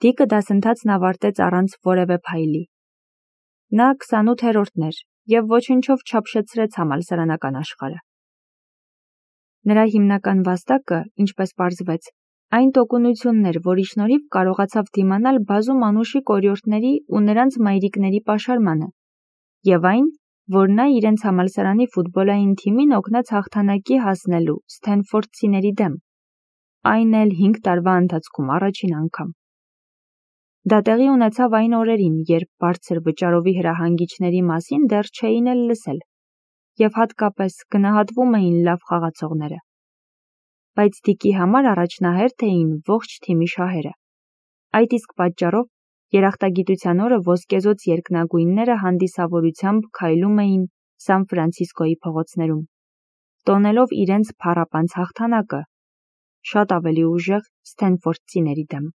Դիկը դասընթացն ավարտեց առանց որևէ փայլի։ Նա 28-րդն էր և ոչնչով չափշեցրեց համալսարանական աշխարհը։ Նրա հիմնական վաստակը, ինչպես պարզվեց, այն տոկունությունն էր, որի շնորհիվ կարողացավ դիմանալ բազում անուշիկ օրիորդների ու նրանց մայրիկների պաշարմանը, և այն, որ նա իրենց համալսարանի ֆուտբոլային թիմին օգնեց հաղթանակի հասնելու Սթենֆորդցիների դեմ, այն էլ 5 տարվա ընթացքում առաջին անգամ։ Դա տեղի ունեցավ այն օրերին, երբ բարձր վճարովի հրահանգիչների մասին դեռ չէին էլ լսել, և հատկապես գնահատվում էին լավ խաղացողները։ Բայց Դիկի համար առաջնահերթ էին ողջ թիմի շահերը։ Այդ իսկ պատճառով երախտագիտության օրը ոսկեզօծ երկնագույնները հանդիսավորությամբ քայլում էին Սան Ֆրանցիսկոյի փողոցներում, տոնելով իրենց փառապանծ հաղթանակը, շատ ավելի ուժեղ Սթենֆորդցիների դեմ։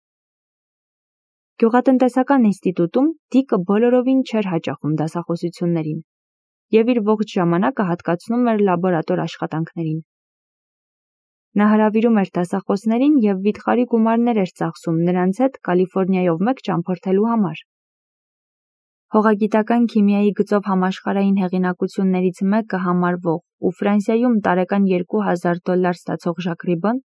Գյուղատնտեսական ինստիտուտում Դիկը բոլորովին չէր հաճախում դասախոսություններին և իր ողջ ժամանակը հատկացնում էր լաբորատոր աշխատանքներին։ Նա հրավիրում էր դասախոսներին և վիթխարի գումարներ էր ծախսում նրանց հետ Կալիֆոռնիայով մեկ ճամփորդելու համար։ Հողագիտական քիմիայի գծով համաշխարհային հեղինակություններից մեկը համարվող ու Ֆրանսիայում տարեկան $2000 ստացող Ժակ Ռիբոն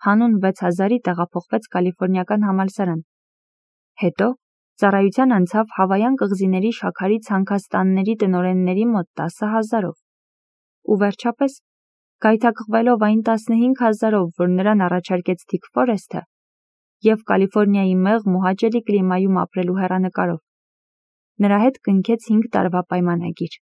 հանուն 6000-ի տեղափոխվեց կալիֆոռնիական համալսարան։ Հետո ծառայության անցավ Հավայան կղզիների շաքարի ցանքաստանների տնօրենների մոտ 10,000-ով ու վերջապես, գայթակղվելով այն 15,000-ով, որ նրան առաջարկեց Դիկ Ֆորեսթը, և Կալիֆոռնիայի մեղմ ու հաճելի կլիմայում ապրելու հեռանկարով, նրա հետ կնքեց 5 տարվա պայմանագիր։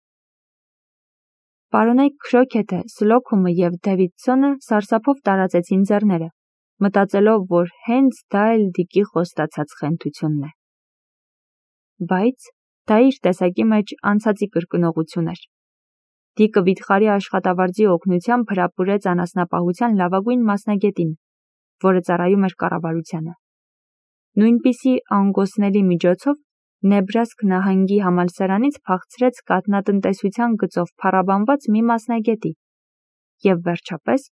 Պարոնայք Քրոքեթը, Սլոքումը և Դեվիդսոնը սարսափով տարածեցին ձեռները, մտածելով, որ հենց դա էլ Դիկի խոստացած խենթությունն է։ Բայց դա իր տեսակի մեջ անցածի կրկնողություն էր։ Դիկը վիթխարի աշխատավարձի օգնությամբ հրապուրեց անասնապահության լավագույն մասնագետին, որը ծառայում էր կառավարությանը։ Նույնպիսի անգոսների միջոցով Նեբրասկ նահանգի համալսարանից փախցրեց կաթնատնտեսության գծով փառաբանված մի մասնագետի և վերջապես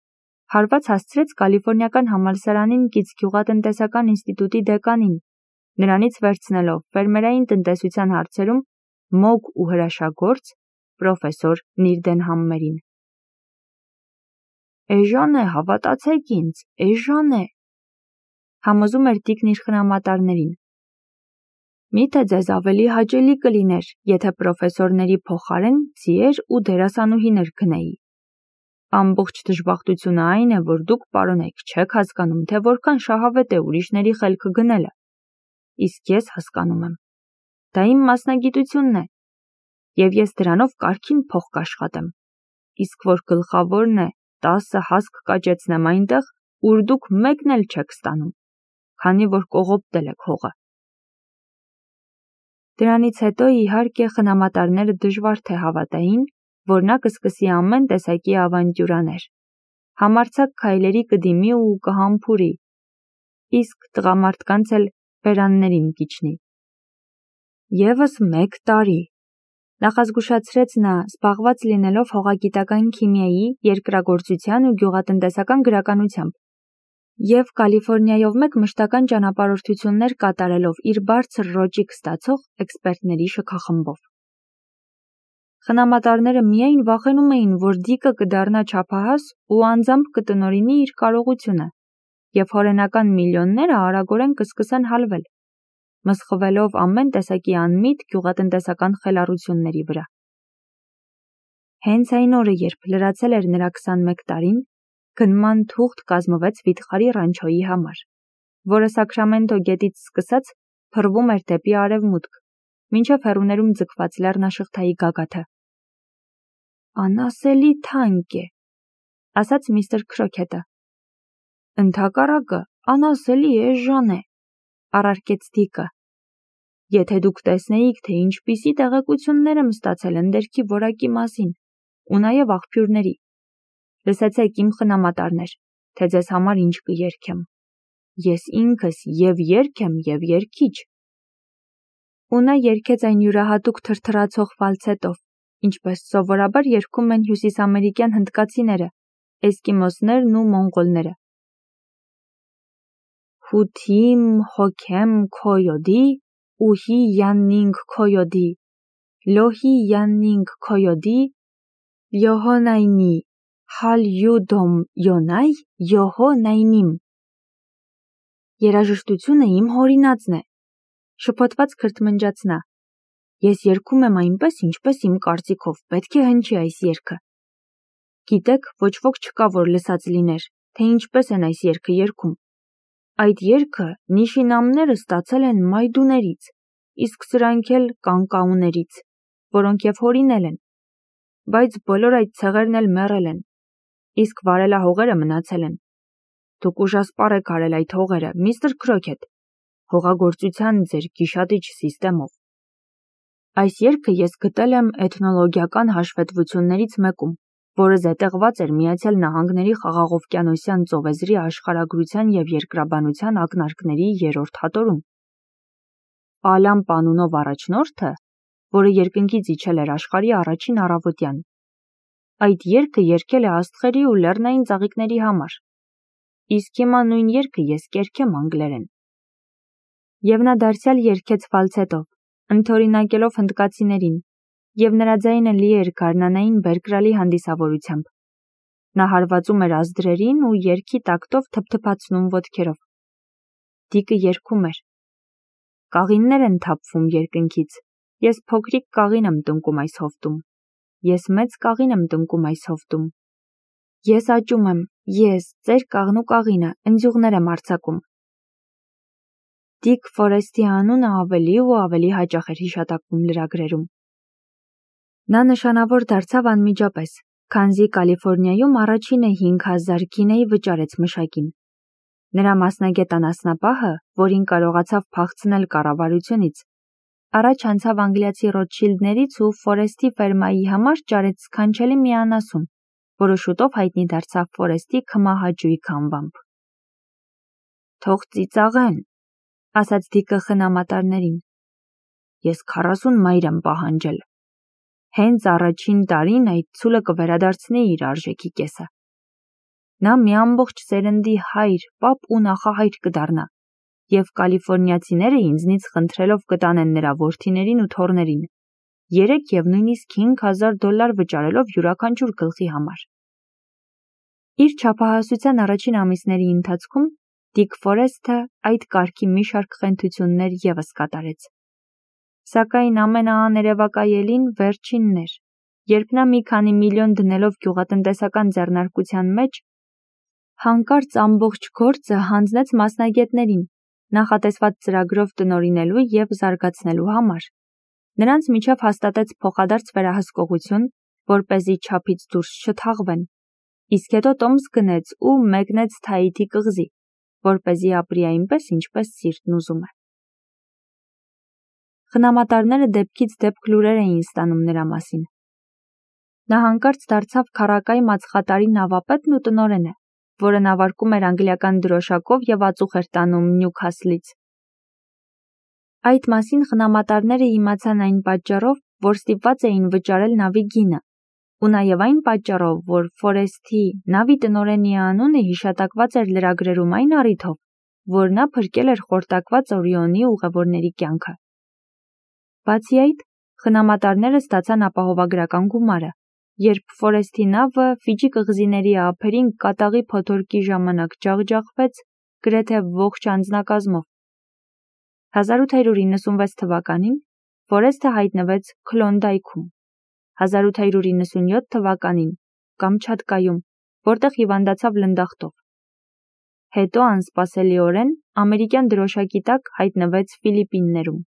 հարված հասցրեց Կալիֆոռնիական համալսարանին կից գյուղատնտեսական ինստիտուտի դեկանին, նրանից վերցնելով ֆերմերային տնտեսության հարցերում մոգ ու հրաշագործ պրոֆեսոր Նիրդենհամմերին։ «Էժան է, հավատացեք ինձ, էժան է», համոզում էր Դիկն իր խնամատարներին։ Միթե ձեզ ավելի հաճելի կլիներ, եթե պրոֆեսորների փոխարեն ձիեր ու դերասանուհիներ գնեի։ Ամբողջ դժբախտությունը այն է, որ դուք, պարոնայք, չեք հասկանում, թե որքան շահավետ է ուրիշների խելքը գնելը։ Իսկ ես հասկանում եմ։ Դա իմ մասնագիտությունն է, և ես դրանով կարգին փող կաշխատեմ։ Իսկ որ գլխավորն է 10 հասկ կաճեցնեմ այնտեղ, ուր դուք մեկն էլ չեք ստանում, քանի որ կողոպտել եք հողը։ Դրանից հետո, իհարկե, խնամատարները դժվար թե հավատային, որ նա կսկսի ամեն տեսակի ավանտյուրաներ, համարձակ քայլերի կդիմի ու կհամբուրի, իսկ տղամարդկանց էլ բերաններին կիջնի։ Եվս 1 տարի, նախազգուշացրեց նա, զբաղված լինելով հողագիտական քիմիայի, երկրագործության ու գյուղատնտեսական գրականությամբ, և Կալիֆոռնիայով մեկ մշտական ճանապարհորդություններ կատարելով իր բարձր ռոճիկ ստացող էքսպերտների շքախմբով։ Խնամատարները միայն վախենում էին, որ Դիկը կդառնա չափահաս ու անձամբ կտնօրինի իր կարողությունը, և հորենական միլիոնները արագորեն կսկսեն հալվել, մսխվելով ամեն տեսակի անմիտ գյուղատնտեսական խելառությունների վրա։ Հենց այն օրը, երբ լրացել էր նրա 21 տարին, գնման թուղթ կազմվեց վիթխարի ռանչոյի համար, որը Սաքրամենտո գետից սկսած փռվում էր դեպի արևմուտք, մինչև հեռուներում ձգված լեռնաշղթայի գագաթը։ «Անասելի թանկ է», ասաց միստր Քրոքեթը։ «Ընդհակառակը, անասելի էժան է», առարկեց Դիկը։ «Եթե դուք տեսնեիք, թե ինչպիսի տեղեկություններ եմ ստացել ընդերքի որակի մասին, ու նաև աղբյուրների։ Լսեցեք, իմ խնամատարներ, թե ձեզ համար ինչ կերքեմ։ Ես ինքս և երգ եմ, և երգիչ»։ Ու նա երգեց այն յուրահատուկ թրթռացող ֆալցետով, ինչպես սովորաբար երգում են հյուսիսամերիկյան հնդկացիները, էսկիմոսներն ու մոնղոլները։ Հութիմ հոքեմ քոյոդի, ուհի յաննինգ քոյոդի, լոհի յաննինգ քոյոդի, յոհոնայնի, հալ յուդոմ յոնայ, յոհո նայնիմ։ Երաժշտությունը իմ հորինածն է, շփոթված քրթմնջաց նա։ Ես երգում եմ այնպես, ինչպես իմ կարծիքով պետք է հնչի այս երգը։ Գիտեք, ոչ ոք չկա, որ լսած լիներ, թե ինչպես են այս երգը երգում։ Այդ երգը նիշինամները ստացել են մայդուներից, իսկ սրանք էլ կանկաուներից, որոնք և հորինել են։ Բայց բոլոր այդ ցեղերն էլ մեռել են, իսկ վարելահողերը մնացել են։ Դուք ուժասպառ եք արել այդ հողերը, միստր Քրոքեթ, հողագործության ձեր գիշատիչ սիստեմով։ Այս երգը ես գտել եմ էթնոլոգիական հաշվետվություններից մեկում, որը զետեղված էր Միացյալ Նահանգների Խաղաղօվկիանոսյան ծովեզրի աշխարհագրության և երկրաբանության ակնարկների 3-րդ հատորում։ Ալամպ անունով առաջնորդը, որը երկնքից իջել էր աշխարհի առաջին առավոտյան, այդ երգը երգել է աստղերի ու լեռնային ծաղիկների համար։ Իսկ հիմա նույն երգը ես կերգեմ անգլերեն։ Եվ նա դարձյալ երգեց ֆալցետով, ընդօրինակելով հնդկացիներին, և նրա ձայնը լի էր գարնանային բերկրալի հանդիսավորությամբ։ Նա հարվածում էր ազդրերին ու երգի տակտով թփթփացնում ոտքերով։ Դիկը երգում էր. Կաղիններ են թափվում երկնքից, ես փոքրիկ կաղին եմ տնկում այս հովտում, ես մեծ կաղին եմ տնկում այս հովտում։ Ես աճում եմ, ես, ծեր կաղնու կաղինը, ընձյուղներ եմ արձակում։ Դիկ Ֆորեսթի անունը ավելի ու ավելի հաճախ էր հիշատակվում լրագրերում։ Նա նշանավոր դարձավ անմիջապես, քանզի Կալիֆոռնիայում առաջինը 5000 գինեի վճարեց մշակին։ Նրա մասնագետ անասնապահը, որին կարողացավ փախցնել կառավարությունից, առաջ անցավ անգլիացի Ռոթշիլդներից ու Ֆորեսթի ֆերմայի համար ճարեց սքանչելի մի անասուն, որը շուտով հայտնի դարձավ Ֆորեսթի քմահաճույք անվամբ։ Թող ծիծաղեն, ասաց Դիկը խնամատարներին։ Ես 40 մայր եմ պահանջել։ Հենց առաջին տարին այդ ցուլը կվերադարձնի իր արժեքի կեսը։ Նա մի ամբողջ սերնդի հայր, պապ ու նախահայր կդառնա, և կալիֆոռնիացիները ինձնից խնդրելով կտանեն նրա որդիներին ու թոռներին, 3 և նույնիսկ $5000 վճարելով յուրաքանչյուր գլխի համար։ Իր չափահասության առաջին ամիսների ընթացքում Դիկ Ֆորեսթը այդ կարգի մի շարք խենթություններ ևս կատարեց։ Սակայն ամենաաներևակայելին վերջինն էր, երբ նա մի քանի միլիոն դնելով գյուղատնտեսական ձեռնարկության մեջ, հանկարծ ամբողջ գործը հանձնեց մասնագետներին, նախատեսված ծրագրով տնօրինելու և զարգացնելու համար։ Նրանց միջև հաստատեց փոխադարձ վերահսկողություն, որպեսզի չափից դուրս չթաղվեն, իսկ հետո տոմս գնեց ու մեկնեց Թաիթի կղզի, որպեսզի ապրի այնպես, ինչպես սիրտն ուզում է։ Խնամատարները դեպքից դեպք լուրեր էին ստանում նրա մասին։ Նա հանկարծ դարձավ քառակայ մածխատարի նավապետն ու տնօրենը, որը նավարկում էր անգլիական դրոշակով և ածուխ էր տանում Նյուքասլից։ Այդ մասին խնամատարները իմացան այն պատճառով, որ ստիպված էին վճարել նավի գինը, ու նաև այն պատճառով, որ Ֆորեսթի նավի տնօրենի անունը հիշատակված էր լրագրերում այն առիթով, որ նա փրկել էր խորտակված Օրիոնի ուղևորների կյանքը։ Բացի այդ, խնամատարները ստացան ապահովագրական գումարը, երբ Ֆորեսթի նավը Ֆիջի կղզիների ափերին կատաղի փոթորկի ժամանակ ջախջախվեց գրեթե ողջ անձնակազմով։ 1896 թվականին Ֆորեսթը հայտնվեց Քլոնդայքում, 1897 թվականին Կամչատկայում, որտեղ հիվանդացավ լնդախտով։ Հետո անսպասելիորեն ամերիկյան դրոշակի տակ հայտնվեց Ֆիլիպիններում։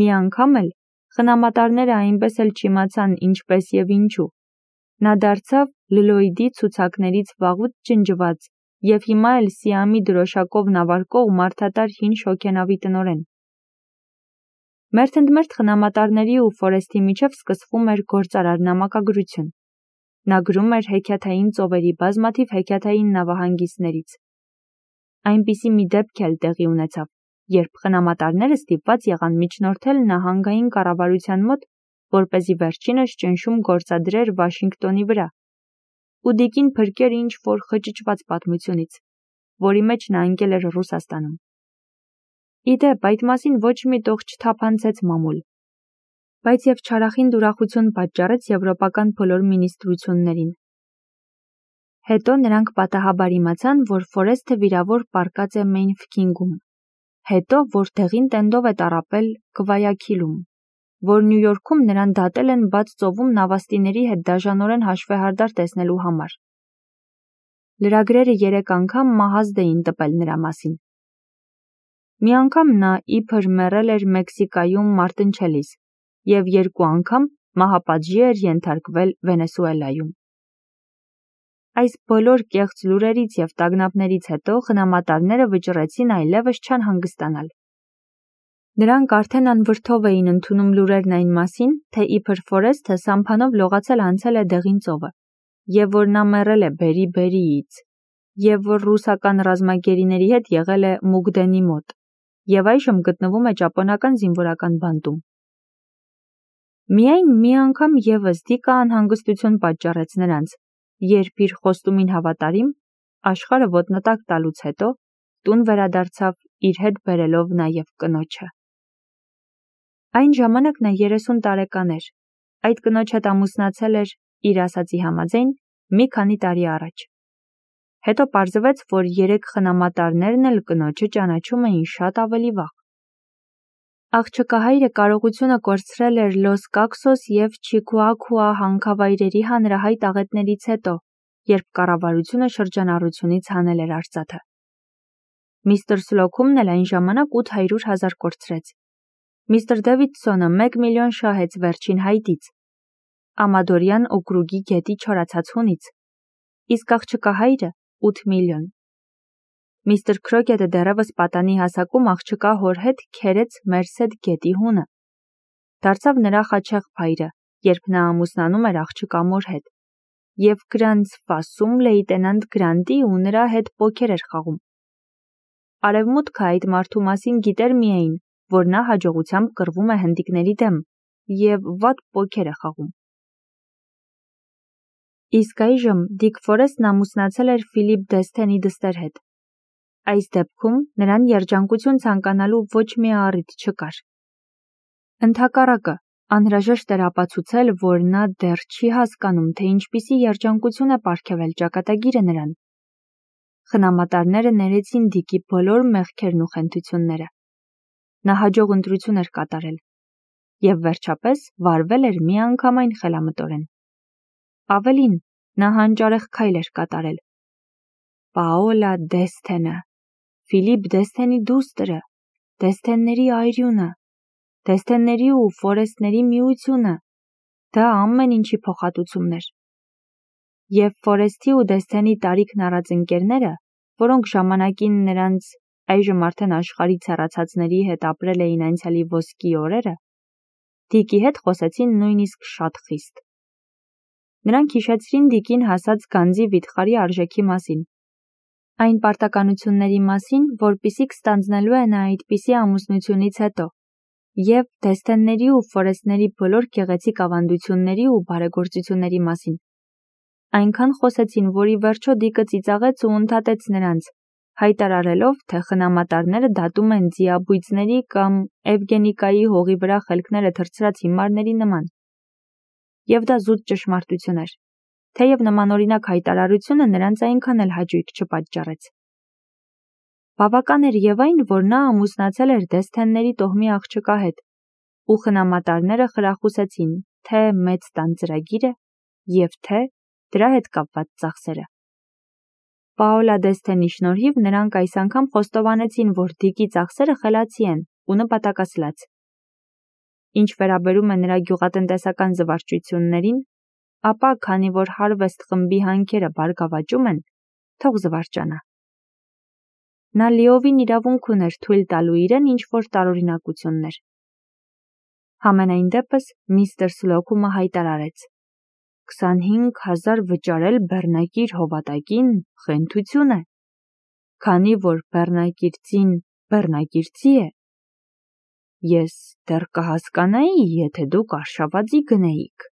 Մի անգամ էլ խնամատարները այնպես էլ չիմացան ինչպես և ինչու։ Նա դարձավ Լլոյդի ցուցակներից վաղուց ջնջված և հիմա էլ Սիամի դրոշակով նավարկող մարդատար հին շոգենավի տնօրեն։ Մերթընդմերթ խնամատարների ու Ֆորեսթի միջև սկսվում էր գործարար նամակագրություն։ Նա գրում էր հեքիաթային ծովերի բազմաթիվ հեքիաթային նավահանգիստներից։ Այնպիսի մի դեպք էլ տեղի ունեցավ, երբ խնամատարները ստիպված եղան միջնորդել նահանգային կառավարության մոտ, որպեսզի վերջինս ճնշում գործադրեր Վաշինգտոնի վրա, ու Դիկին փրկեր ինչ-որ խճճված պատմությունից, որի մեջ նա ընկել էր Ռուսաստանում։ Իդեպ, այդ մասին ոչ մի տող չթափանցեց մամուլ, բայց և չարախինդ ուրախություն պատճառեց եվրոպական բոլոր մինիստրություններին։ Հետո նրանք պատահաբար իմացան, որ Ֆորեսթը վիրավոր պառկած է Մեյնֆքինգում, հետո, որ դեղին տենդով է տառապել Գվայաքիլում, որ Նյու Յորքում նրան դատել են բաց ծովում նավաստիների հետ դաժանորեն հաշվեհարդար տեսնելու համար։ Լրագրերը 3 անգամ մահազդ էին տպել նրա մասին։ Մի անգամ նա իբր մեռել էր Մեքսիկայում մարտնչելիս և 2 անգամ մահապատժի էր ենթարկվել Վենեսուելայում։ Այս բոլոր կեղծ լուրերից և տագնապներից հետո խնամատարները վճռեցին այլևս չանհանգստանալ։ Նրանք արդեն անվրդով էին ընդունում լուրերն այն մասին, թե իբր Ֆորեսթը սամփանով լողացել անցել է դեղին ծովը, և որ նա մեռել է բերի-բերիից, և որ ռուսական ռազմագերիների հետ եղել է Մուգդենի մոտ, և այժմ գտնվում է ճապոնական զինվորական բանտում։ Միայն մի անգամ ևս Դիկը անհանգստություն պատճառեց նրանց, երբ իր խոստումին հավատարիմ, աշխարհը ոտնատակ տալուց հետո, տուն վերադարձավ իր հետ բերելով նաև կնոջը։ Այն ժամանակ նա 30 տարեկան էր, այդ կնոջ հետ ամուսնացել էր, իր ասածի համաձայն, մի քանի տարի առաջ։ Հետո պարզվեց, որ 3 խնամատարներն էլ կնոջը ճանաչում էին շատ ավելի վաղ։ Աղջկահայրը կարողությունը կորցրել էր Լոս Կաքսոս և Չիկուակուա հանքավայրերի հանրահայտ աղետներից հետո, երբ կառավարությունը շրջանառությունից հանել էր արծաթը։ Միսթր Սլոքումն էլ այն ժամանակ 800,000 կորցրեց։ Միսթր Դեվիդսոնը 1 միլիոն շահեց վերջին հայտից, Ամադորյան օկրուգի գետի չորացած հունից, իսկ աղջկահայրը 8 միլիոն։ Միսթր Քրոքետը դեռևս պատանի հասակում աղջկա հոր հետ քերեց Մերսեդ գետի հունը։ Դարձավ նրա խաչեղ փայրը, երբ նա ամուսնանում էր աղջկա մոր հետ, և Գրանց Ֆասում լեյտենանտ Գրանտի ու նրա հետ պոքեր էր խաղում։ Արևմուտքը այդ մարդու մասին գիտեր միայն, որ նա հաջողությամբ կռվում է հնդիկների դեմ և վատ պոքեր է խաղում։ Իսկ այժմ Դիկ Ֆորեսթն ամուսնացել էր Ֆիլիպ Դեսթենի դստեր հետ։ Այս դեպքում նրան երջանկություն ցանկանալու ոչ մի առիթ չկար։ Ընդհակառակը, անհրաժեշտ էր ապացուցել, որ նա դեռ չի հասկանում, թե ինչպիսի երջանկություն է պարգևել ճակատագիրը նրան։ Խնամատարները ներեցին Դիկի բոլոր մեղքերն ու խենթությունները։ Նա հաջող ընտրություն էր կատարել և վերջապես վարվել էր միանգամայն խելամտորեն։ Ավելին, նա հանճարեղ քայլ էր կատարել։ Պաոլա Դեսթենը, Ֆիլիպ Դեսթենի դուստրը, Դեսթենների այրյունը, Դեսթենների ու Ֆորեսթների միությունը, դա ամեն ինչի փոխհատուցումն էր։ Եվ Ֆորեսթի ու Դեսթենի տարիքն առած ընկերները, որոնք ժամանակին նրանց այժմ արդեն աշխարհից հեռացածների հետ ապրել էին անցյալի ոսկի օրերը, Դիկի հետ խոսեցին նույնիսկ շատ խիստ։ Նրանք հիշեցրին Դիկին հասած գանձի վիթխարի արժեքի մասին, այն պարտականությունների մասին, որպիսիք ստանձնելու է նա այդպիսի ամուսնությունից հետո, և Դեսթենների ու Ֆորեսթների բոլոր գեղեցիկ ավանդությունների ու բարեգործությունների մասին։ Այնքան խոսեցին, որ ի վերջո Դիկը ծիծաղեց ու ընդհատեց նրանց, հայտարարելով, թե խնամատարները դատում են ձիաբույծների կամ Էվգենիկայի հողի վրա խելքները թռցրած հիմարների նման։ Եվ դա զուտ ճշմարտություն էր, թեև նմանօրինակ հայտարարությունը նրանց այնքան էլ հաճույք չպատճառեց։ Բավական էր և այն, որ նա ամուսնացել էր Դեսթենների տոհմի աղջկա հետ, ու խնամատարները խրախուսեցին թե մեծ տան ծրագիրը և թե դրա հետ կապված ծախսերը։ Պաոլա Դեսթենի շնորհիվ նրանք այս անգամ խոստովանեցին, որ Դիկի ծախսերը խելացի են ու նպատակասլաց։ Ինչ վերաբերում է նրա գյուղատնտեսական զվարճություններին, ապա քանի որ Harvest խմբի հանքերը բարգավաճում են, թող զվարճանա։ Նա լիովին իրավունք ուներ թույլ տալու իրեն ինչ-որ տարօրինակություններ։ Համենայն դեպս Միսթր Սլոքումը հայտարարեց. 25,000 վճարել բեռնակիր հովատակին խենթություն է, քանի որ բեռնակիրծին բեռնակիրծի է։ Ես դեռ կհասկանայի, եթե դուք արշավածի գնեիք։